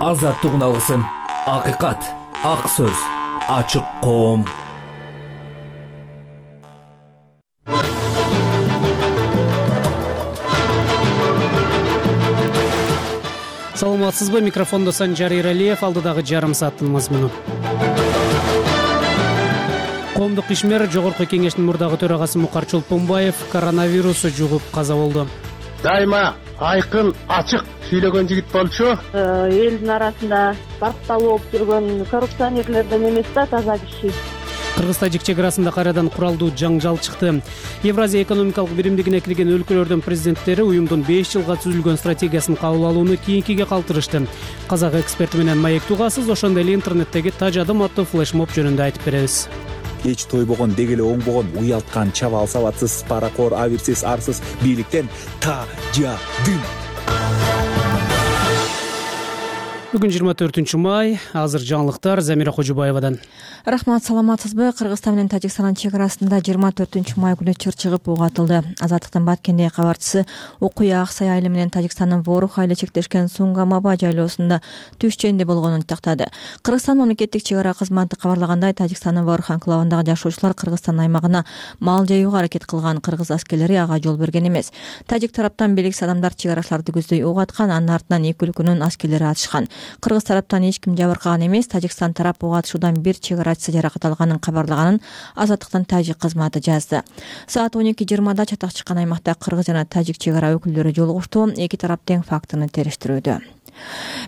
азаттыгын алсын. Акыйкат, ак сөз, ачык коом. Саламатсызбы? Микрофондо Санжар Иралиев, алдыдагы жарым сааттын мазмуну. Коомдук ишмер Жогорку Кеңештин мурдагы төрагасы Мукар Чолпонбаев коронавирусу жугуп каза болду. Дайыма айкын, ачык сүйлөгөн жигит болчу. Элдин арасында бакталуу болуп жүргөн коррупционерлерден эмес да, таза киши. Кыргыз-тажик чек арасында кайрадан куралдуу жаңжал чыкты. Евразия экономикалык биримдигине кирген өлкөлөрдүн президенттери уюмдун 5 жылга түзүлгөн стратегиясын кабыл алууну кийинкиге калтырышты. Казак эксперти менен маек тугасыз, ошондой эле интернеттеги тажадым аттуу флешмоб жөнүндө айтып беребиз. Эч тойбогон, дегеле оңбогон, уялткан, чабал сабатсыз, паракор, абирсиз, арсыз бийликтен тажадым. Бүгүн 24 май, азыр жаңылыктар Замира Кожубаевадан. Рахмат, саламатсызбы? Кыргызстан менен Тажикстандын чек арасында 24 май күнү чыр чыгып угатылды. Азаттыктын Баткендеги кабарчысы окуя Аксай айылы менен Тажикстандын Ворух айылы чектешкен Сунгамаба жайлоосунда түш ченде болгонун тактады. Кыргызстан мамлекеттик чек ара кызматы кабарлагандай, Тажикстандын Ворух анклавындагы жашоочулар Кыргызстан аймагына мал жаюуга аракет кылган. Кыргыз аскерлери ага жол берген эмес. Тажик тараптан белгисиз адамдар чек арачыларды көздөй угаткан, анын артынан эки өлкөнүн аскерлери атышкан. Кыргыз тараптан эч ким жабыркаган эмес. Тажикстан тарап ого атышуудан бир чек арачысы жаракат алганын кабарлаганын Азаттыктын тажик кызматы жазды. Саат 12:20 чатак чыккан аймакта кыргыз жана тажик чек ара өкүлдөрү жолугушту. Эки тарап тең фактыны териштирүүдө.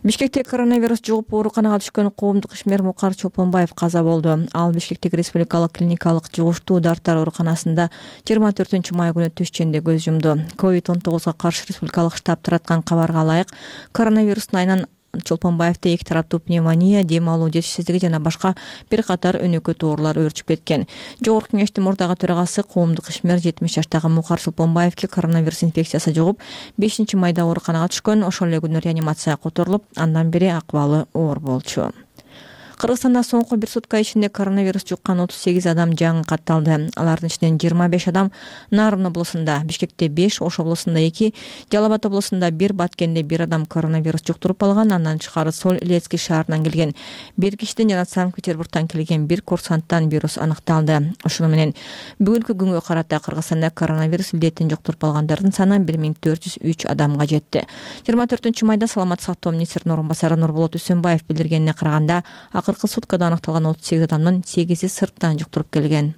Бишкекте коронавирус жугуп ооруканага түшкөн коомдук ишмер Мукар Чолпонбаев каза болду. Ал Бишкектеги республикалык клиникалык жугуштуу дарттар ооруканасында 24 май күнү түш ченде көз жумду. COVID-19 каршы республикалык штаб тараткан кабарга ылайык, коронавирустун айынан Чолпонбаевде эки тараптуу пневмония, дем алуу жетишсиздиги жана башка бир катар өнөкөт оорулар өөрчүп кеткен. Жогорку Кеңештин мурдагы төрагасы коомдук ишмер 70 жаштагы Мукар Чолпонбаевге коронавирус инфекциясы жугуп, 5 майда ооруканага түшкөн. Ошол эле күнү реанимацияга которулуп, андан бери акыбалы оор болчу. Кыргызстанда соңку бир сутка ичинде коронавирус жуккан 38 адам жаңы катталды. Алардын ичинен 25 адам Нарын облусунда, Бишкекте 5, Ош облусунда 2, Жалал Абад облусунда 1, Баткенде 1 адам коронавирус жуктуруп алган. Андан тышкары Соль Илецкий шаарынан келген 1 кишиден жана Санкт-Петербургтан келген 1 курсанттан вирус аныкталды. Ошону менен бүгүнкү күнгө карата Кыргызстанда коронавирус илдетин жуктуруп алгандардын саны 1403 адамга жетти. 24 майда Саламаттык сактоо министринин орун басары Нурболот Үсөнбаев билдиргенине караганда, акыркы суткада аныкталган 38 адамдын 8-и сырттан жуктуруп келген.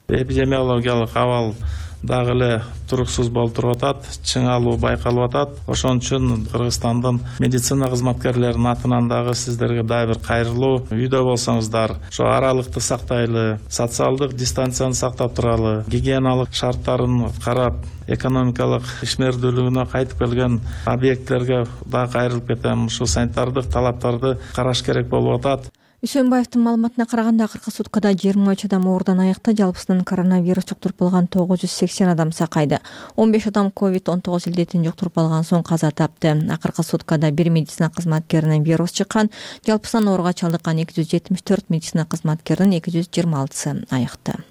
Эпидемиологиялык абал дагы эле туруксуз болуп туруп атат, чыңалуу байкалып атат. Ошон үчүн Кыргызстандын медицина кызматкерлеринин атынан дагы сиздерге дагы бир кайрылуу. Үйдө болсоңуздар, ошо аралыкты сактайлы, социалдык дистанцияны сактап туралы, гигиеналык шарттарын карап, экономикалык ишмердүүлүгүнө кайтып келген объекттерге дагы кайрылып кетем. Ушу санитардык талаптарды караш керек болуп атат. Үсөнбаевдин маалыматына караганда, акыркы суткада 23 адам оорудан айыкты. Жалпысынан коронавирус жуктуруп алган 980 адам сакайды. 15 адам COVID-19 илдетин жуктуруп алган соң каза тапты. Акыркы суткада бир медицина кызматкеринен вирус чыккан. Жалпысынан ооруга чалдыккан 274 медицина кызматкеринин 226-сы айыкты.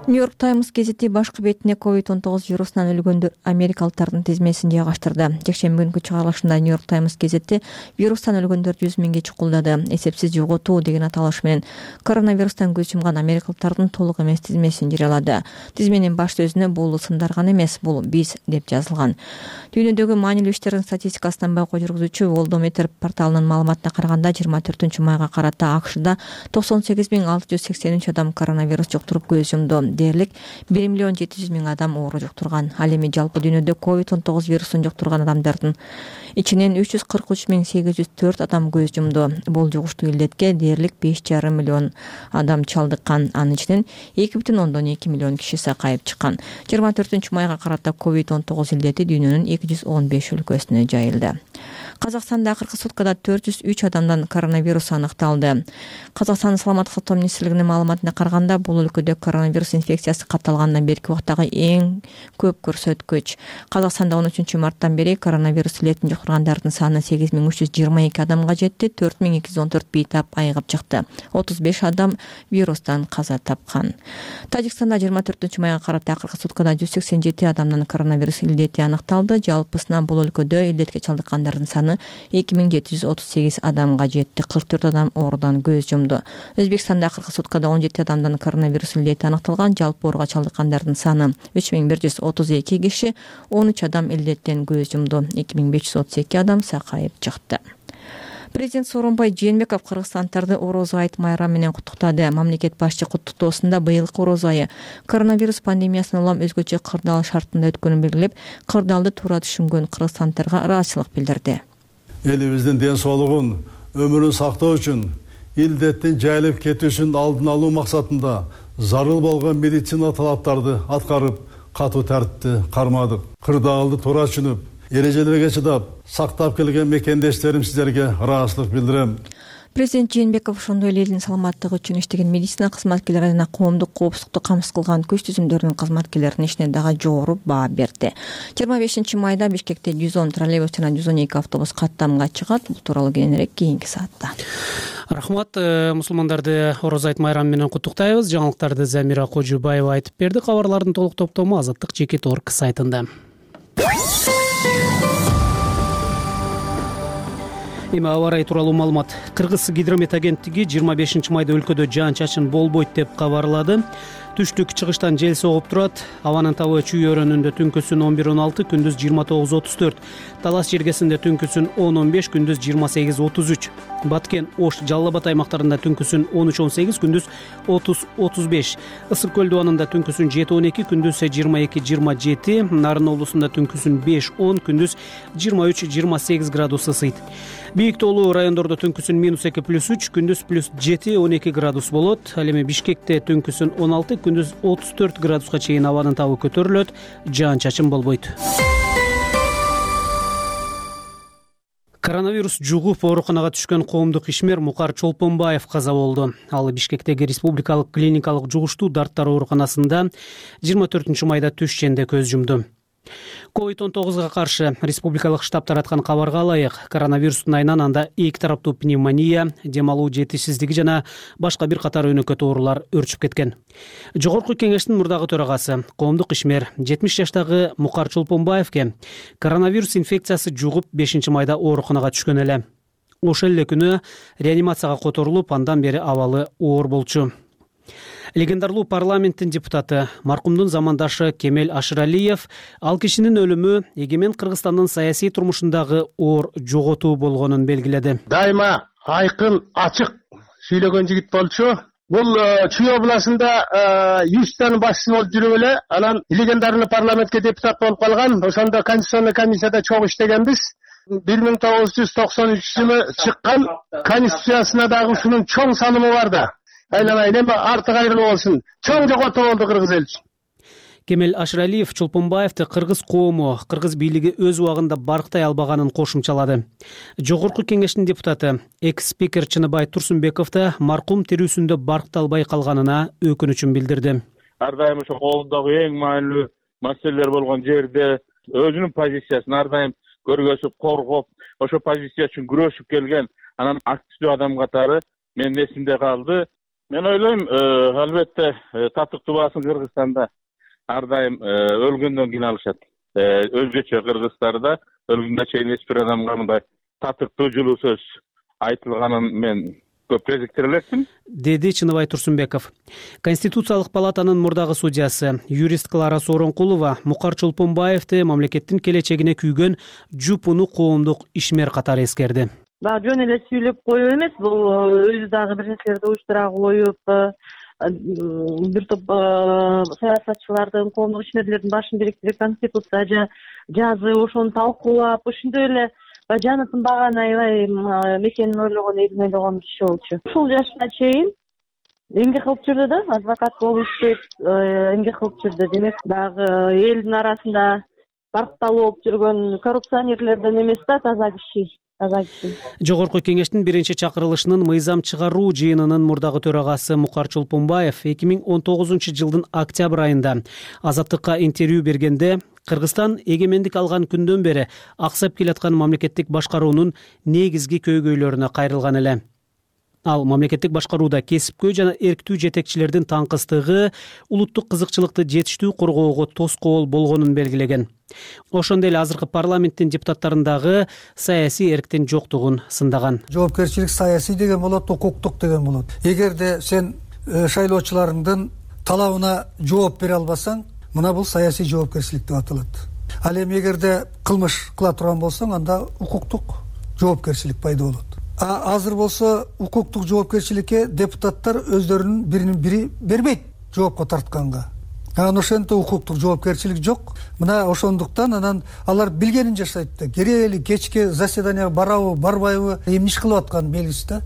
Нью-Йорк Таймс гезити башкы бетине COVID-19 вирусунан өлгөндөр америкалыктардын тизмесин жайгаштырды. Жекшемби күнкү чыгарылышында Нью-Йорк Таймс гезити вирустан өлгөндөр 100 миңге чукулдады. Эсепсиз жоготуу деген аталыш менен коронавирустан көз жумган америкалыктардын толук эмес тизмесин жарыялады. Тизменин баш сөзүнө бул сындар гана эмес, бул биз деп жазылган. Дүйнөдөгү маанилүү иштердин статистикасынан байкоо жүргүзүүчү Worldometer порталынын маалыматына караганда, 24 майга карата АКШда 98.683 адам коронавирус жуктуруп көз жумду. Дээрлик 1.700.000 адам оору жуктурган. Ал эми жалпы дүйнөдө COVID-19 вирусун жуктурган адамдардын ичинен 343.804 адам көз жумду. Бул жугуштуу илдетке дээрлик 5,5 миллион адам чалдыккан. Анын ичинен 2,2 миллион киши сакайып чыккан. 24 майга карата COVID-19 илдети дүйнөнүн 215 өлкөсүнө жайылды. Казакстанда акыркы суткада 403 адамдан коронавирус аныкталды. Казакстандын саламаттык сактоо министрлигинин маалыматына караганда, бул өлкөдө коронавирус инфекциясы катталгандан берки убактагы эң көп көрсөткүч. Казакстанда 13 марттан бери коронавирус илетин жуктургандардын саны 8322 адамга жетти. 4214 бейтап айыгып чыкты. 35 адам вирустан каза тапкан. Тажикстанда 24 майга карата акыркы суткада 187 адамдан коронавирус илдети аныкталды. Жалпысынан бул өлкөдө илдетке чалдыккандардын саны саны 2738 адамга жетти. 44 адам оорудан көз жумду. Өзбекстанда акыркы суткада 17 адамдан коронавирус илдети аныкталган. Жалпы ооруга чалдыккандардын саны 3132 киши, 13 адам илдеттен көз жумду. 2532 адам сакайып чыкты. Президент Сооронбай Жээнбеков кыргызстандарды Орозо айт майрамы менен куттуктады. Мамлекет башчы куттуктоосунда быйылкы Орозо айы коронавирус пандемиясынан улам өзгөчө кырдаал шартында өткөнүн белгилеп, кырдаалды туура түшүнгөн кыргызстандтарга ыраазычылык билдирди. Элибиздин ден соолугун, өмүрүн сактоо үчүн, илдеттин жайылып кетүүсүн алдын алуу максатында зарыл болгон медицина талаптарды аткарып, катуу тартипти кармадык. Кырдаалды туура түшүнүп, эрежелерге чыдап, сактап келген мекендештерим сиздерге ыраазычылык билдирем. Президент Жээнбеков ошондой эле элдин саламаттыгы үчүн иштеген медицина кызматкерлери жана коомдук коопсуздукту камсыз кылган күч түзүмдөрүнүн кызматкерлеринин ишине дагы жогору баа берди. 25 майда Бишкекте 110 троллейбус жана 112 автобус каттамга чыгат. Бул тууралуу кийинирээк кийинки саатта. Рахмат. Мусулмандарды Орозо айт майрамы менен куттуктайбыз. Жаңылыктарды Замира Кожубаева айтып берди. Кабарлардын толук топтому Азаттык.org сайтында. Эми аба ырайы тууралуу маалымат. Кыргыз гидромет агенттиги 25 майда өлкөдө жаан-чачын болбойт деп кабарлады. Түштүк-чыгыштан жел согуп турат. Абанын табы Чүй өрөөнүндө түнкүсүн 11:16, күндүз 29:34. Талас жергесинде түнкүсүн 10:15, күндүз 28:33. Баткен, Ош, Жалал Абад аймактарында түнкүсүн 13:18, күндүз 30:35. Ысык көл дубанында түнкүсүн 7:12, күндүз 22:27. Нарын облусунда түнкүсүн 5:10, күндүз 23:28 градус ысыйт. Бийик тоолуу райондордо түнкүсүн -2+3, күндүз +7, 12 градус болот. Ал эми Бишкекте түнкүсүн 16, күндүз 34 градуска чейин абанын табы көтөрүлөт. Жаан-чачын болбойт. Коронавирус жугуп ооруканага түшкөн коомдук ишмер Мукар Чолпонбаев каза болду. Ал Бишкектеги Республикалык клиникалык жугуштуу дарттар ооруканасында 24 майда түш ичинде көз жумду. COVID-19 каршы республикалык штаб тараткан кабарга ылайык, коронавирустун айынан анда эки тараптуу пневмония, дем алуу жетишсиздиги жана башка бир катар өнөкөт оорулар өрчүп кеткен. Жогорку кеңештин мурдагы төрагасы, коомдук ишмер 70 жаштагы Мукар Чолпонбаевке коронавирус инфекциясы жугуп 5 майда ооруканага түшкөн эле. Ошол эле күнү реанимацияга которулуп, андан бери абалы оор болчу. Легендарлуу парламенттин депутаты, маркумдун замандашы Кемел Ашыралиев ал кишинин өлүмү эгемен Кыргызстандын саясий турмушундагы оор жоготуу болгонун белгиледи. Дайыма айкын, ачык сүйлөгөн жигит болчу. Бул Чүй областында юристтин башчысы болуп жүрүп эле, анан легендарный парламентке депутат болуп калган. Ошондо конституционный комиссияда чоң иштегенбиз. 1993 жылы чыккан конституциясына дагы ушунун чоң санымы бар да. Айланайын, эми арты кайрылуу болсун. Чоң жоготуу болду кыргыз эл үчүн. Кемел Ашыралиев Чолпонбаевди кыргыз коому, кыргыз бийлиги өз убагында барктай албаганын кошумчалады. Жогорку кеңештин депутаты, экс-спикер Чыныбай Турсунбеков да маркум тирүүсүндө баркталбай калганына өкүнүчүн билдирди. Ар дайым ошо коомдогу эң маанилүү маселелер болгон жерде өзүнүн позициясын ар дайым көргөзүп, коргоп, ошо позиция үчүн күрөшүп келген анан активдүү адам катары менин эсимде калды. Мен ойлойм, албетте татыктуу баасын Кыргызстанда ар дайым өлгөндөн кийин алышат. Өзгөчө Кыргызстанда өлгөнгө чейин эч бир адамга мындай татыктуу жылуу сөз айтылганын мен көп кезиктире элекмин, деди Чыныбай Турсунбеков. Конституциялык палатанын мурдагы судьясы, юрист Клара Сооронкулова Мукар Чолпонбаевди мамлекеттин келечегине күйгөн жупуну коомдук ишмер катары эскерди. Жөн эле сүйлөп коюу эмес, бул өзү дагы бир нерселерди уюштура коюп, бир топ саясатчылардын, коомдук ишмерлердин башын бириктирип конституция жазып, ошону талкуулап, ошондой эле жаны тынбаган аябай мекенин ойлогон, элин ойлогон киши болчу. Ушул жашына чейин эмгек кылып жүрдү да, адвокат болуп иштеп, эмгек кылып жүрдү. Демек, дагы элдин арасында баркталуу болуп жүргөн коррупционерлерден эмес да, таза киши. Жогорку кеңештин биринчи чакырылышынын мыйзам чыгаруу жыйынынын мурдагы төрагасы Мукар Чолпонбаев 2019 жылдын октябрь айында Азаттыкка интервью бергенде Кыргызстан эгемендик алган күндөн бери аксап келаткан мамлекеттик башкаруунун негизги көйгөйлөрүнө кайрылган эле. Ал мамлекеттик башкарууда кесипкөй жана эрктүү жетекчилердин таңкыстыгы улуттук кызыкчылыкты жетиштүү коргоого тоскоол болгонун белгилеген. Ошондой эле азыркы парламенттин депутаттарындагы саясий эрктин жоктугун сындаган. Жоопкерчилик саясий деген болот, укуктук деген болот. Эгерде сен шайлоочуларыңдын талабына жооп бере албасаң, мына бул саясий жоопкерчилик деп аталат. Ал эми эгерде кылмыш кыла турган болсоң, анда укуктук жоопкерчилик пайда болот. Азыр болсо укуктук жоопкерчиликке депутаттар өздөрүнүн биринин бири бербейт жоопко тартканга. Ошентип укуктук жоопкерчилик жок. Мына ошондуктан анан алар билгенин жашайт да. Керели кечке заседанияга барабы, барбайбы, эмне иш кылып атканы белгисиз да.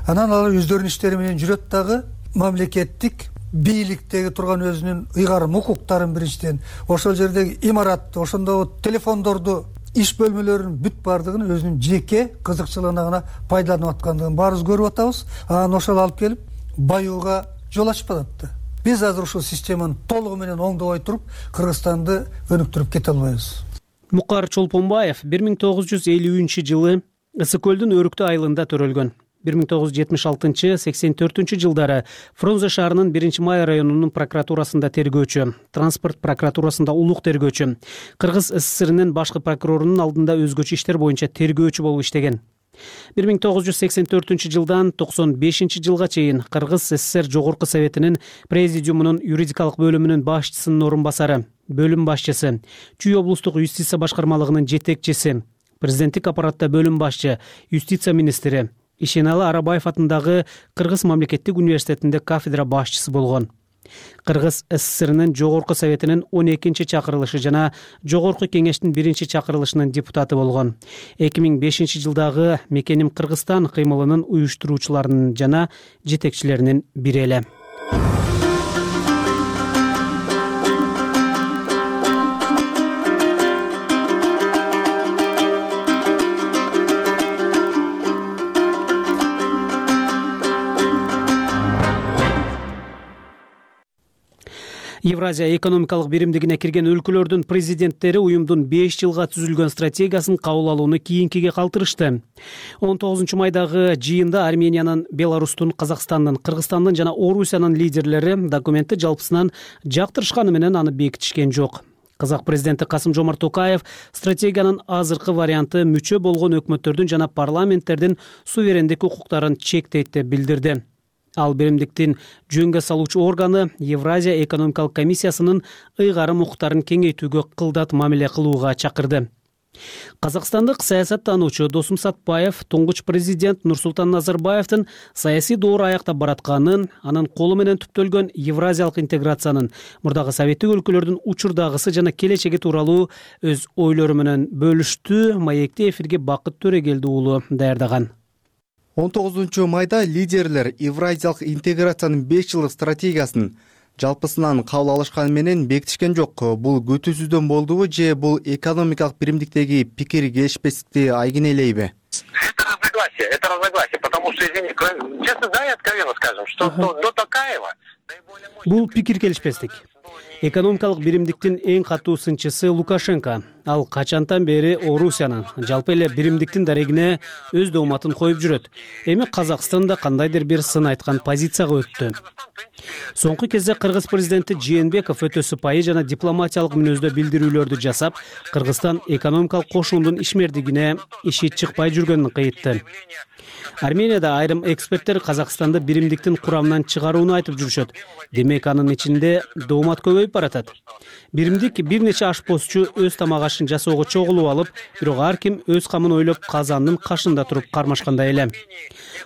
Анан алар өздөрүнүн иштери менен жүрөт дагы, мамлекеттик бийликтеги турган өзүнүн ыйгарым укуктарын биринчиден, ошол жердеги имаратты, ошондогу телефондорду, иш бөлмөлөрүнүн бүт баардыгын өзүнүн жеке кызыкчылыгына гана пайдаланып аткандыгын баарыбыз көрүп атабыз. Анан ошол алып келип баюуга жол ачып атат да. Биз азыр ушул системаны толугу менен оңдобой туруп, Кыргызстанды өнүктүрүп кете албайбыз. Мукар Чолпонбаев 1950-жылы Ысык көлдүн Өрүктүү айылында төрөлгөн. 1976-84 жылдары Фрунзе шаарынын 1-Май районунун прокуратурасында тергөөчү, транспорт прокуратурасында улук тергөөчү, Кыргыз СССРинин башкы прокурорунун алдында өзгөчө иштер боюнча тергөөчү болуп иштеген. 1984 жылдан 95 жылга чейин Кыргыз СССР Жогорку Советинин президиумунун юридикалык бөлүмүнүн башчысынын орун басары, бөлүм башчысы, Чүй облустук юстиция башкармалыгынын жетекчиси, президенттик аппаратта бөлүм башчы, юстиция министри, Ишеналы Арабаев атындагы Кыргыз мамлекеттик университетинде кафедра башчысы болгон. Кыргыз СССРинин Жогорку Советинин 12-чакырылышы жана Жогорку Кеңештин 1-чакырылышынын депутаты болгон. 2005 жылдагы Мекеним Кыргызстан кыймылынын уюштуруучуларынын жана жетекчилеринин бири эле. Евразия экономикалык биримдигине кирген өлкөлөрдүн президенттери уюмдун 5 жылга түзүлгөн стратегиясын кабыл алууну кийинкиге калтырышты. 19 майдагы жыйында Армениянын, Беларустун, Казакстандын, Кыргызстандын жана Орусиянын лидерлери документти жалпысынан жактырышканы менен аны бекитишкен жок. Казак президенти Касым-Жомарт Токаев стратегиянын азыркы варианты мүчө болгон өкмөттөрдүн жана парламенттердин суверендик укуктарын чектейт деп билдирди. Ал биримдиктин жөнгө салуучу органы Евразия экономикалык комиссиясынын ыйгарым укуктарын кеңейтүүгө кылдат мамиле кылууга чакырды. Казакстандык саясаттануучу Досум Сатпаев туңгуч президент Нурсултан Назарбаевдин саясий доору аяктап баратканын, анын колу менен түптөлгөн евразиялык интеграциянын, мурдагы советтик өлкөлөрдүн учурдагысы жана келечеги тууралуу өз ойлору менен бөлүштү. Маекти эфирге Бакыт Төрегелди уулу даярдаган. 19 майда лидерлер евразиялык интеграциянын 5 жылдык стратегиясын жалпысынан кабыл алышканы менен бекитишкен жок. Бул күтүүсүздөн болдубу же бул экономикалык биримдиктеги пикир келишпестикти айгинелейби? Это разногласие, потому что, извините, честно, да, и откровенно скажем, что до Токаева... Бул пикир келишпестик. Экономикалык биримдиктин эң катуу сынчысы Лукашенко. Ал качантан бери Орусиянын, жалпы эле биримдиктин дарегине өз дооматын коюп жүрөт. Эми Казакстан да кандайдыр бир сын айткан позицияга өттү. Соңку кезде Кыргыз президенти Жээнбеков өтө сыпайы жана дипломатиялык мүнөздө билдирүүлөрдү жасап, Кыргызстан экономикалык кошуундун ишмердигине иши чыкпай жүргөнүн кыйтты. Арменияда айрым эксперттер Казакстанды биримдиктин курамынан чыгарууну айтып жүрүшөт. Демек анын ичинде доомат көбөйүп баратат. Биримдик бир нече ашпозчу өз тамак ашын жасоого чогулуп алып, бирок ар ким өз камын ойлоп казандын кашында туруп кармашкандай эле.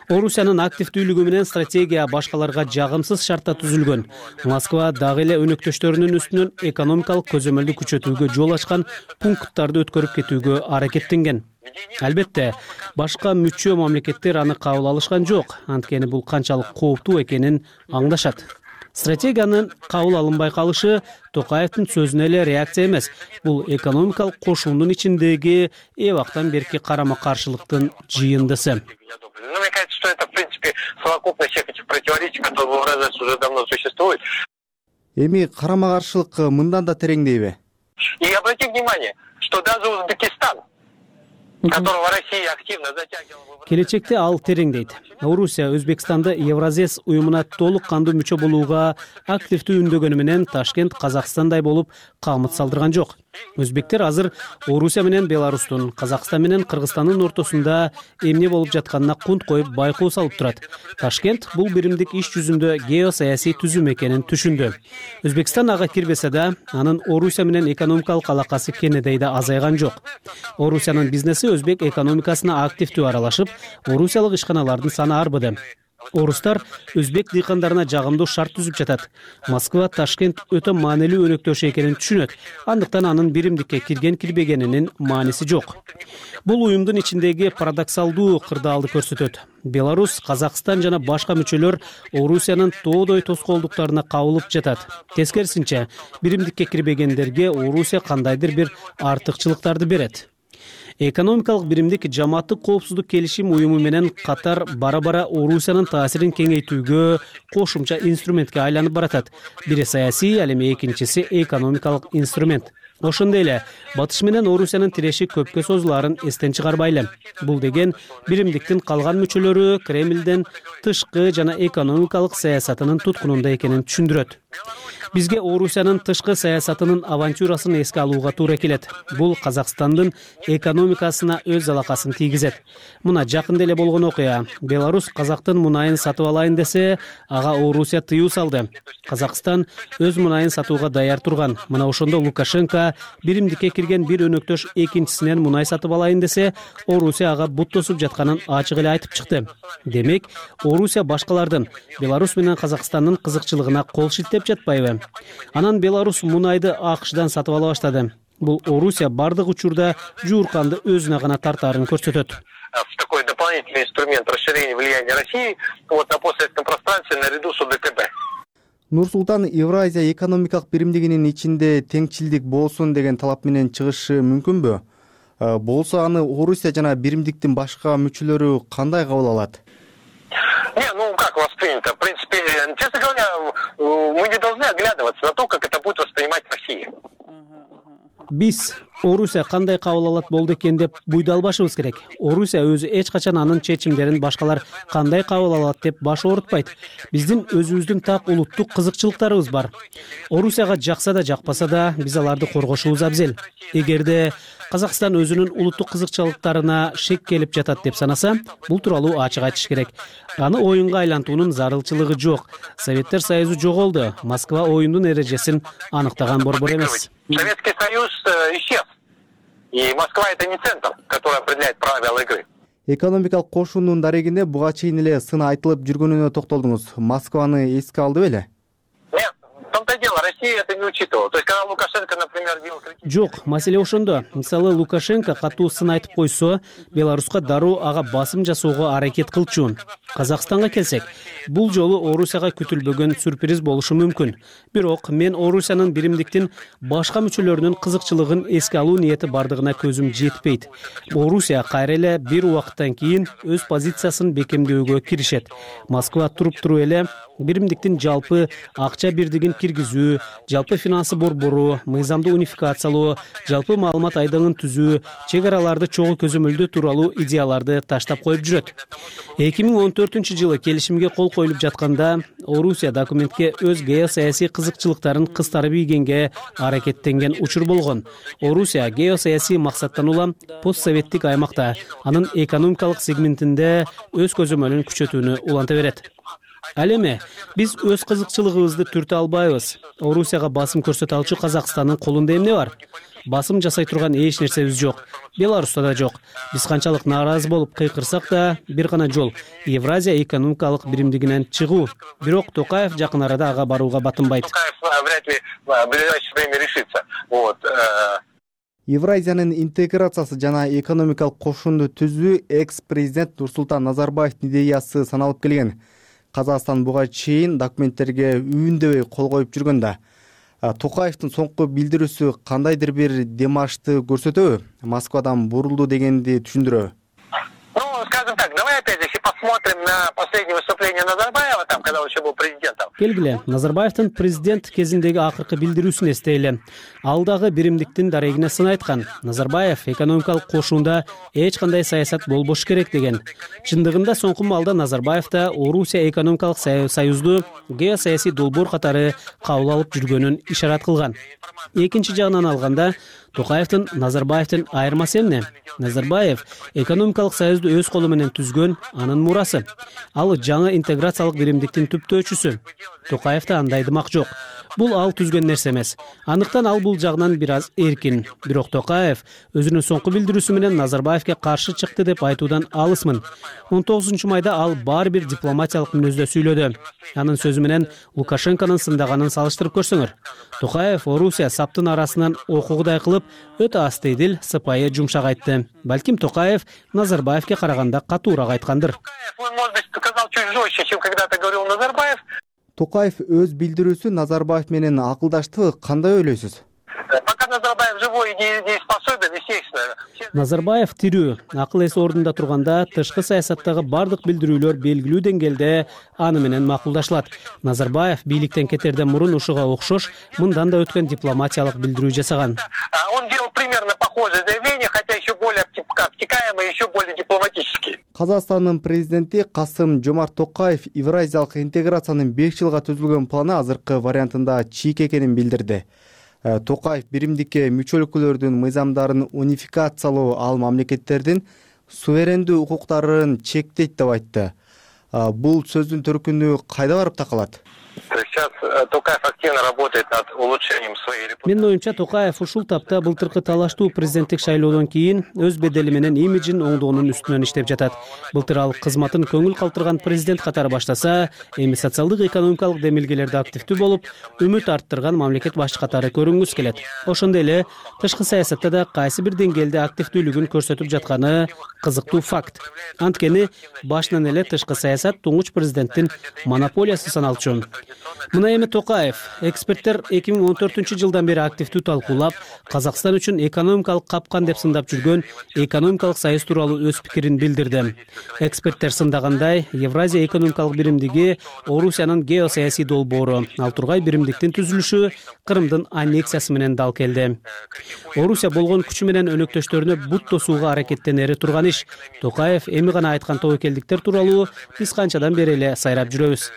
Орусиянын активдүүлүгү менен стратегия башкаларга жагымсыз шартта түзүлгөн. Москва дагы эле өнөктөштөрүнүн үстүнөн экономикалык көзөмөлдү күчөтүүгө жол ачкан пункттарды өткөрүп кетүүгө аракеттенген. Албетте, башка мүчө мамлекеттер аны кабыл алышкан жок. Анткени бул канчалык кооптуу экенин аңдашат. Стратегиянын кабыл алынбай калышы Токаевдин сөзүнө эле реакция эмес. Бул экономикалык кошуундун ичиндеги эбактан берки карама-каршылыктын жыйындысы. Мне кажется, что это, в принципе, совокупность всех этих противоречий, которые в Евразии уже давно существуют. Эми карама-каршылык мындан да тереңдейби? И обратите внимание, что даже Узбекистан, которого Россия активно затягивала. Келечекте ал тереңдейт. Орусия Өзбекстанды Евразес уюмуна толук кандуу мүчө болууга активдүү үндөгөнү менен Ташкент Казакстандай болуп камыт салдырган жок. Өзбектер азыр Орусия менен Беларустун, Казакстан менен Кыргызстандын ортосунда эмне болуп жатканына кунт коюп байкоо салып турат. Ташкент бул биримдик иш жүзүндө геосаясий түзүм экенин түшүндү. Өзбекстан ага кирбесе да, анын Орусия менен экономикалык алакасы кенедей да азайган жок. Орусиянын бизнеси өзбек экономикасына активдүү аралашып, орусиялык ишканалардын саны арбыды. Орустар өзбек дыйкандарына жагымдуу шарт түзүп жатат. Москва Ташкент өтө маанилүү өнөктөш экенин түшүнөт. Андыктан анын биримдикке кирген-кирбегенинин мааниси жок. Бул уюмдун ичиндеги парадоксалдуу кырдаалды көрсөтөт. Беларус, Казакстан жана башка мүчөлөр Орусиянын тоодой тоскоолдуктарына кабылып жатат. Тескерисинче, биримдикке кирбегендерге Орусия кандайдыр бир артыкчылыктарды берет. Экономикалык биримдик жамааттык коопсуздук келишим уюму менен катар бара-бара Орусиянын таасирин кеңейтүүгө кошумча инструментке айланып баратат. Бири саясий, ал эми экинчиси экономикалык инструмент. Ошондой эле Батыш менен Орусиянын тиреши көпкө созулаарын эстен чыгарбайлы. Бул деген биримдиктин калган мүчөлөрү Кремлден тышкы жана экономикалык саясатынын туткунунда экенин түшүндүрөт. Бизге Орусиянын тышкы саясатынын авантюрасын эске алууга туура келет. Бул Казакстандын экономикасына өз залакасын тийгизет. Мына жакында эле болгон окуя. Беларус Казактын мунайын сатып алайын десе, ага Орусия тыюу салды. Казакстан өз мунайын сатууга даяр турган. Мына ошондо Лукашенко биримдикке кирген бир өнөктөш экинчисинен мунай сатып алайын десе, Орусия ага бут тосуп жатканын ачык эле айтып чыкты. Демек, Орусия башкалардын Беларус менен Казакстандын кызыкчылыгына кол шилтеп жатпайбы? Анан Беларус мунайды АКШдан сатып ала баштады. Бул Орусия бардык учурда жуурканды өзүнө гана тартаарын көрсөтөт. В такой дополнительный инструмент расширения влияния России на постсоветском пространстве наряду с ОДКБ. Нур-Султан Евразия экономикалык биримдигинин ичинде теңчилдик болсун деген талап менен чыгышы мүмкүнбү? Болсо аны Орусия жана биримдиктин башка мүчөлөрү кандай кабыл алат? Как воспринято? В принципе, честно говоря, мы не должны оглядываться на то, как это будет воспринимать Россия. Биз Орусия кандай кабыл алат болду экен деп буйдалбашыбыз керек. Орусия өзү эч качан анын чечимдерин башкалар кандай кабыл алат деп баш оорутпайт. Биздин өзүбүздүн так улуттук кызыкчылыктарыбыз бар. Орусияга жакса да жакпаса да биз аларды коргошубуз абзел. Эгерде Казакстан өзүнүн улуттук кызыкчылыктарына шек келип жатат деп санаса, бул тууралуу ачык айтыш керек. Аны оюнга айлантуунун зарылчылыгы жок. Советтер Союзу жоголду. Москва оюндун эрежесин аныктаган борбор эмес. Советский Союз исчез. И Москва это не центр, который определяет правила игры. Экономикалык кошундун дарегинде буга чейин эле сын айтылып жүргөнүнө токтолдуңуз. Москваны эске алды беле? Нет, в том-то дело, Россия это не учитывала. То есть, когда Лукашенко, например, делал критику... Жок, маселе ошондо. Мисалы, Лукашенко катуу сын айтып койсо, Беларуска дароо ага басым жасоого аракет кылчу. Казакстанга келсек, бул жолу Орусияга күтүлбөгөн сюрприз болушу мүмкүн. Бирок мен Орусиянын биримдиктин башка мүчөлөрүнүн кызыкчылыгын эске алуу ниети бардыгына көзүм жетпейт. Орусия кайра эле бир убакыттан кийин өз позициясын бекемдөөгө киришет. Москва туруп эле биримдиктин жалпы акча бирдигин киргизүү, жалпы финансы борбору, мыйзамды унификациялоо, жалпы маалымат айдыңын түзүү, чек араларды чогуу көзөмөлдөө тууралуу идеяларды таштап коюп жүрөт. 2014-жылы келишимге кол коюлуп жатканда Орусия документке өз геосаясий кызыкчылыктарын кыстарып ийгенге аракеттенген учур болгон. Орусия геосаясий максаттан улам постсоветтик аймакта, анын экономикалык сегментинде өз көзөмөлүн күчөтүүнү уланта берет. Ал эми биз өз кызыкчылыгыбызды түртө албайбыз. Орусияга басым көрсөтө алчу Казакстандын колунда эмне бар? Басым жасай турган эч нерсебиз жок. Беларуста да жок. Биз канчалык нааразы болуп кыйкырсак да, бир гана жол — Евразия экономикалык биримдигинен чыгуу. Бирок Токаев жакын арада ага барууга батынбайт. Токаев вряд ли в ближайшее время решится. Евразиянын интеграциясы жана экономикалык кошунду түзүү экс-президент Нурсултан Назарбаевдин идеясы саналып келген. Казакстан буга чейин документтерге үйүндөбөй кол коюп жүргөндө. Токаевдин соңку билдирүүсү кандайдыр бир демашты көрсөтөбү? Москвадан бурулду дегенди түшүндүрөбү? Скажем так, давай опять, если посмотрим на последнее выступление Назарбаева, там, когда он еще был президентом, келгиле Назарбаевдин президент кезиндеги акыркы билдирүүсүн эстейли. Ал дагы биримдиктин дарегине сын айткан. Назарбаев экономикалык кошуунда эч кандай саясат болбош керек деген. Чындыгында соңку маалда Назарбаев да Орусия экономикалык союзду геосаясий долбоор катары кабыл алып жүргөнүн ишарат кылган. Экинчи жагынан алганда Токаевдин Назарбаевдин айырмасы эмне? Назарбаев экономикалык союзду өз колу менен түзгөн, анын мурасы. Ал жаңы интеграциялык биримдиктин түптөөчүсү. Токаевда андай дымак жок. Бул ал түзгөн нерсе эмес. Андыктан ал бул жагынан бир аз эркин. Бирок Токаев өзүнүн соңку билдирүүсү менен Назарбаевге каршы чыкты деп айтуудан алысмын. 19-майда ал баары бир дипломатиялык мүнөздө сүйлөдү. Анын сөзү менен Лукашенконун сындаганын салыштырып көрсөңөр. Токаев Орусия саптын арасынан окуугудай кылып, өтө астыйдил, сыпайы, жумшак айтты. Балким Токаев Назарбаевге караганда катуураак айткандыр. Токаев өз билдирүүсү Назарбаев менен акылдаштыбы, кандай ойлойсуз? Назарбаев тирүү, акыл эси ордунда турганда тышкы саясаттагы бардык билдирүүлөр белгилүү деңгээлде аны менен макулдашылат. Назарбаев бийликтен кетерден мурун ушуга окшош мындан да өткөн дипломатиялык билдирүү жасаган. Он делал примерно похожее заявление, хотя еще более обтекаемое, еще более дипломатические. Казакстандын президенти Касым-Жомарт Токаев Евразиялык интеграциянын 5 жылга түзүлгөн планы азыркы вариантында чийик экенин билдирди. Токаев биримдикке мүчө өлкөлөрдүн мыйзамдарын унификациялоо ал мамлекеттердин суверендүү укуктарын чектейт деп айтты. Бул сөздүн төркүнү кайда барып такалат? Сейчас Токаев активно работает над улучшением своей репутации. Менин оюмча Токаев ушул тапта былтыркы талаштуу президенттик шайлоодон кийин өз бедели менен имиджин оңдоонун үстүнөн иштеп жатат. Былтыр ал кызматын көңүл калтырган президент катары баштаса, эми социалдык экономикалык демилгелерде активдүү болуп, үмүт арттырган мамлекет башчы катары көрүнгүсү келет. Ошондой эле тышкы саясатта да кайсы бир деңгээлде активдүүлүгүн көрсөтүп жатканы кызыктуу факт. Анткени башынан эле тышкы саясат туңгуч президенттин монополиясы саналчу. Мына эми Токаев эксперттер 2014-жылдан бери активдүү талкуулап, Казакстан үчүн экономикалык капкан деп сындап жүргөн экономикалык союз тууралуу өз пикирин билдирди. Эксперттер сындагандай, Евразия экономикалык биримдиги Орусиянын геосаясий долбоору, ал тургай биримдиктин түзүлүшү Крымдын аннексиясы менен дал келди. Орусия болгон күчү менен өнөктөштөрүнө бут тосууга аракеттенери турган иш. Токаев эми гана айткан тобокелдиктер тууралуу биз канчадан бери эле сайрап жүрөбүз.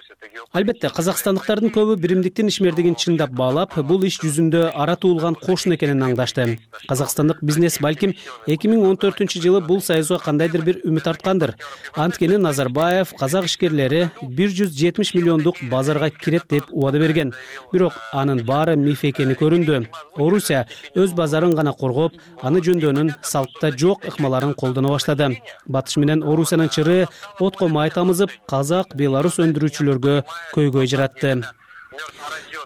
Албетте, казакстандыктардын көбү биримдиктин ишмердигин чындап баалап, бул иш жүзүндө ара туулган кошун экенин аңдашты. Казакстандык бизнес балким 2014-жылы бул союзга кандайдыр бир үмүт арткандыр. Анткени Назарбаев казак ишкерлери 170 миллиондук базарга кирет деп убада берген. Бирок анын баары миф экени көрүндү. Орусия өз базарын гана коргоп, аны жөндөөнүн салтта жок ыкмаларын колдоно баштады. Батыш менен Орусиянын чыры отко май тамызып, казак, белорус өндүрүүчүлөргө көйгөй жаратты.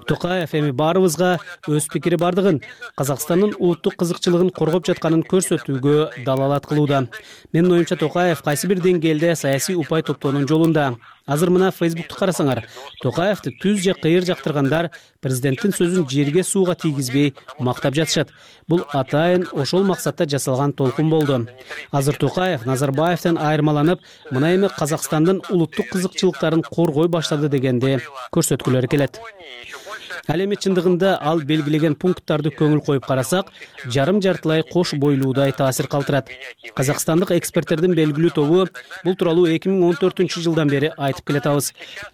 Токаев эми баарыбызга өз пикири бардыгын, Казакстандын улуттук кызыкчылыгын коргоп жатканын көрсөтүүгө далалат кылууда. Менин оюмча Токаев кайсы бир деңгээлде саясий упай топтоонун жолунда. Азыр мына Facebook'ту карасаңар, Токаевди түз же кыйыр жактыргандар президенттин сөзүн жерге сууга тийгизбей мактап жатышат. Бул атайын ошол максатта жасалган толкун болду. Азыр Токаев Назарбаевден айырмаланып, мына эми Казакстандын улуттук кызыкчылыктарын коргой баштады дегенди көрсөткүлөрү келет. Ал эми чындыгында ал белгилеген пункттарды көңүл коюп карасак, жарым-жартылай кош бойлуудай таасир калтырат. Казакстандык эксперттердин белгилүү тобу бул тууралуу 2014-жылдан бери айтып келатабыз.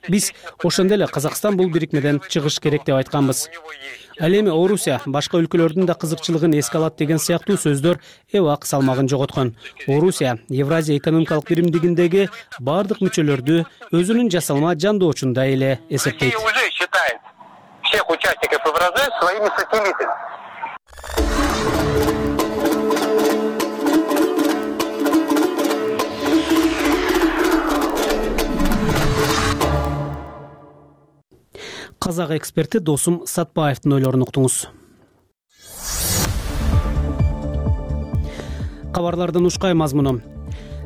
Биз ошондой эле Казакстан бул бирикмеден чыгыш керек деп айтканбыз. Ал эми Орусия башка өлкөлөрдүн да кызыкчылыгын эске алат деген сыяктуу сөздөр эбак салмагын жоготкон. Орусия Евразия экономикалык биримдигиндеги бардык мүчөлөрдү өзүнүн жасалма жандоочундай эле эсептейт. Всех участников Евразии своими сателлитами. Казак эксперти Досум Сатпаевдин ойлорун уктуңуз. Кабарлардын ушкай мазмуну.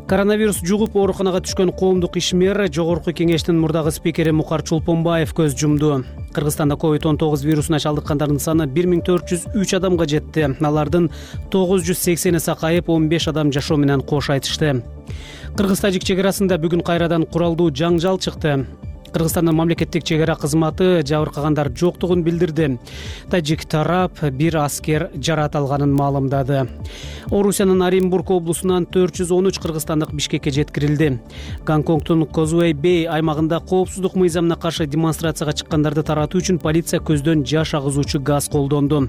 Коронавирус жугуп ооруканага түшкөн коомдук ишмер Жогорку кеңештин мурдагы спикери Мукар Чолпонбаев көз жумду. Кыргызстанда COVID-19 вирусуна чалдыккандардын саны 1403 адамга жетти. Алардын 980 сакайып, 15 адам жашоо менен кош айтышты. Кыргыз-тажик чек арасында бүгүн кайрадан куралдуу жаңжал чыкты. Кыргызстандын мамлекеттик чек ара кызматы жабыркагандар жоктугун билдирди. Тажик тарап бир аскер жаракат алганын маалымдады. Орусиянын Оренбург облусунан 413 кыргызстандык Бишкекке жеткирилди. Гонконгдун Козуэй Бэй аймагында коопсуздук мыйзамына каршы демонстрацияга чыккандарды таратуу үчүн полиция көздөн жаш агызуучу газ колдонду.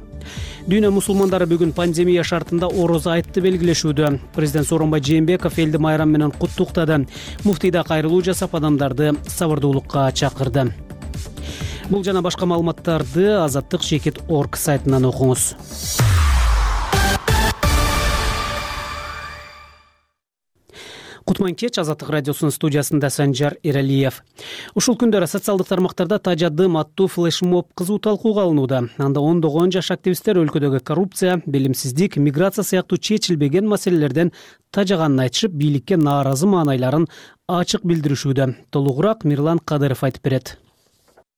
Дүйнө мусулмандары бүгүн пандемия шартында Ороз айтты белгилешүүдө. Президент Сооронбай Жээнбеков элди майрам менен куттуктады. Муфтий да кайрылуу жасап адамдарды сабырдуулукка чакырды. Бул жана башка маалыматтарды azattik.org сайтынан окуңуз. Кутман кеч, Азаттык радиосунун студиясында Санжар Эралиев. Ушул күндөрү социалдык тармактарда Тажа дым аттуу флешмоб кызуу талкууга алынууда. Анда ондогон жаш активисттер өлкөдөгү коррупция, билимсиздик, миграция сыяктуу чечилбеген маселелерден тажаганын айтышып, бийликке нааразы маанайларын ачык билдиришүүдө. Толугураак Мирлан Кадыров айтып берет.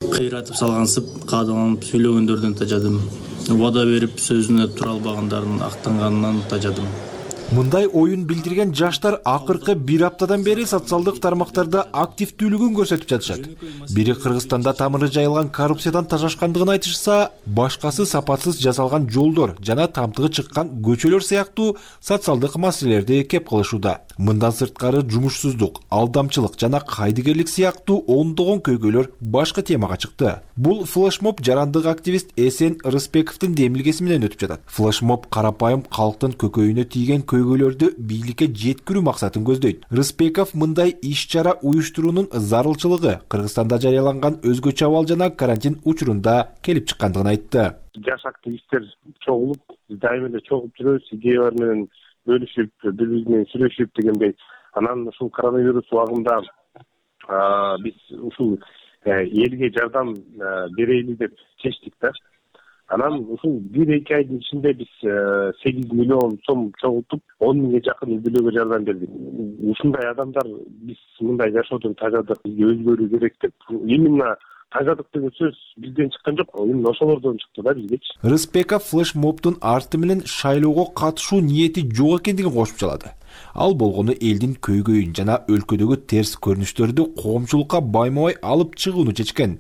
Кыйратып салгансып, каадаланып сүйлөгөндөрдөн тажадым. Убада берип сөзүнө тура албагандардын актанганынан тажадым. Мындай оюн билдирген жаштар акыркы бир аптадан бери социалдык тармактарда активдүүлүгүн көрсөтүп жатышат. Бири Кыргызстанда тамыры жайылган коррупциядан тажашкандыгын айтышса, башкасы сапатсыз жасалган жолдор жана тамтыгы чыккан көчөлөр сыяктуу социалдык маселелерди кеп кылышууда. Мындан сырткары жумушсуздук, алдамчылык жана кайдыгерлик сыяктуу ондогон көйгөйлөр башкы темага чыкты. Бул флешмоб жарандык активист Эсен Рысбековдун демилгеси менен өтүп жатат. Флешмоб карапайым калктын көкөйүнө тийген көйгөйлөрдү бийликке жеткирүү максатын көздөйт. Рысбеков мындай иш-чара уюштуруунун зарылчылыгы Кыргызстанда жарыяланган өзгөчө абал жана карантин учурунда келип чыккандыгын айтты. Жаш активисттер чогулуп, дайыма эле чогулуп жүрөбүз, идеялар менен бөлүшүп, бири-бири менен сүйлөшүп дегендей. Анан ушул коронавирус убагында биз ушул элге жардам берели деп чечтик да. Анан ушул 1-2 айдын ичинде биз 8 миллион сом чогултуп, 10 миңге жакын үй бүлөгө жардам бердик. Ушундай адамдар биз мындай жашоодон тажадык, бизге өзгөрүү керек деп. Именно тажадык деген сөз бизден чыккан жок, именно ошолордон чыкты да бизгечи. Рыспеков флешмобдун арты менен шайлоого катышуу ниети жок экендигин кошуп чалады. Ал болгону элдин көйгөйүн жана өлкөдөгү терс көрүнүштөрдү коомчулукка байма-бай алып чыгууну чечкен.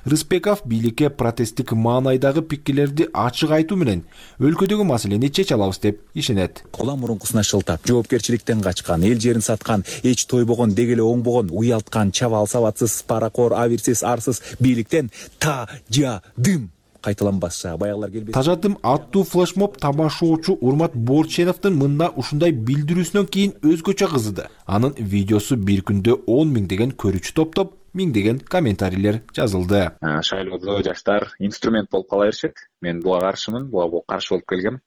Рыспеков бийликке протесттик маанайдагы пикирлерди ачык айтуу менен өлкөдөгү маселени чече алабыз деп ишенет. Улам мурункусуна шылтап, жоопкерчиликтен качкан, эл жерин саткан, эч тойбогон, дегеле оңбогон, уялткан, чабал сабатсыз, паракор, абирсиз, арсыз бийликтен тажадым кайталанбаса баягылар келбейт. Тажадым аттуу флешмоб тамашоочу Урмат Борченовдун мында ушундай билдирүүсүнөн кийин өзгөчө кызыды. Анын видеосу бир күндө 10 миң деген көрүүчү топтоп, миңдеген комментарийлер жазылды. Шайлоодо жаштар инструмент болуп кала беришет. Мен буга каршымын, буга каршы болуп келгем.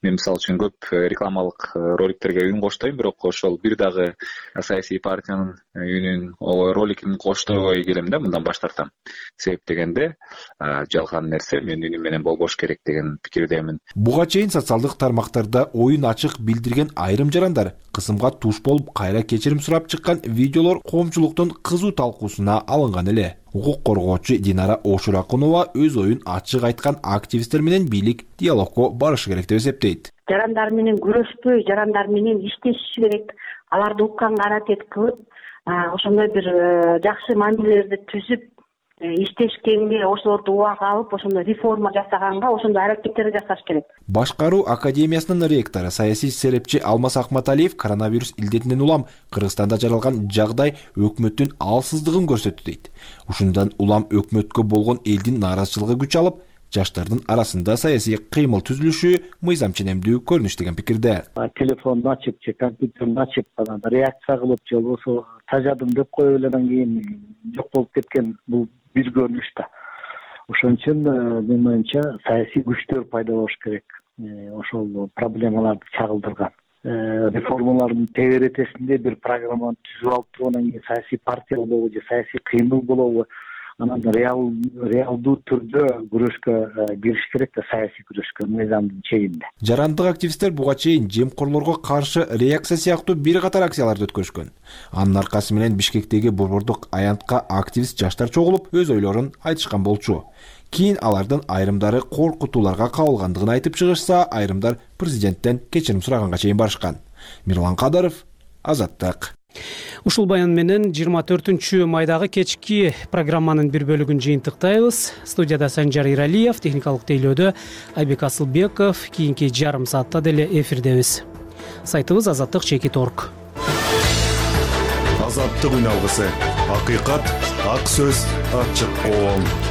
Мен мисалы үчүн көп рекламалык роликтерге үн коштойм, бирок ошол бир дагы саясий партиянын үнүн, роликин коштойбой келем да, мындан баш тартам. Себеп дегенде жалган нерсе менин үнүм менен болбош керек деген пикирдемин. Буга чейин социалдык тармактарда оюн ачык билдирген айрым жарандар кысымга туш болуп кайра кечирим сурап чыккан видеолор коомчулуктун кызуу талкуусуна алынган эле. Укук коргоочу Динара Ошуракунова өз оюн ачык айткан активисттер менен бийлик диалогко барышы керек деп эсептейт. Жарандар менен күрөшпөй, жарандар менен иштешиш керек. Аларды укканга аракет кылып, ошондой бир жакшы мамилелерди түзүп, иштешкенге, ошолорду убага алып, ошондой реформа жасаганга, ошондой аракеттерди жасаш керек. Башкаруу академиясынын ректору, саясий серепчи Алмаз Акматалиев коронавирус илдетинен улам Кыргызстанда жаралган жагдай өкмөттүн алсыздыгын көрсөттү дейт. Ушундан улам өкмөткө болгон элдин нааразычылыгы күч алып, жаштардын арасында саясий кыймыл түзүлүшү мыйзам ченемдүү көрүнүш деген пикирде. Телефонду ачып, компьютерди ачып, реакция кылып, же болбосо тажадым деп коюп эле андан кийин жок болуп кеткен бул бир көрүнүш да. Ошон үчүн менин оюмча саясий күчтөр пайда болуш керек. Ошол проблемаларды чагылдырган. Реформалардын тегеретесинде бир программаны түзүп алып тургандан кийин саясий партия болобу же саясий кыймыл болобу, анан реалдуу түрдө күрөшкө кириш керек да, саясий күрөшкө мыйзамдын чегинде. Жарандык активисттер буга чейин жемкорлорго каршы реакция сыяктуу бир катар акцияларды өткөрүшкөн. Анын аркасы менен Бишкектеги борбордук аянтка активист жаштар чогулуп, өз ойлорун айтышкан болчу. Кийин алардын айрымдары коркутууларга кабылгандыгын айтып чыгышса, айрымдар президенттен кечирим сураганга чейин барышкан. Мирлан Кадыров, Азаттык. Ушул баян менен 24 майдагы кечки программанын бир бөлүгүн жыйынтыктайбыз. Студияда Санжар Иралиев, техникалык тейлөөдө Айбек Асылбеков. Кийинки жарым саатта деле эфирдебиз. Сайтыбыз azаттык.org. Азаттык үн алгысы. Акыйкат, ак сөз, ачык оол.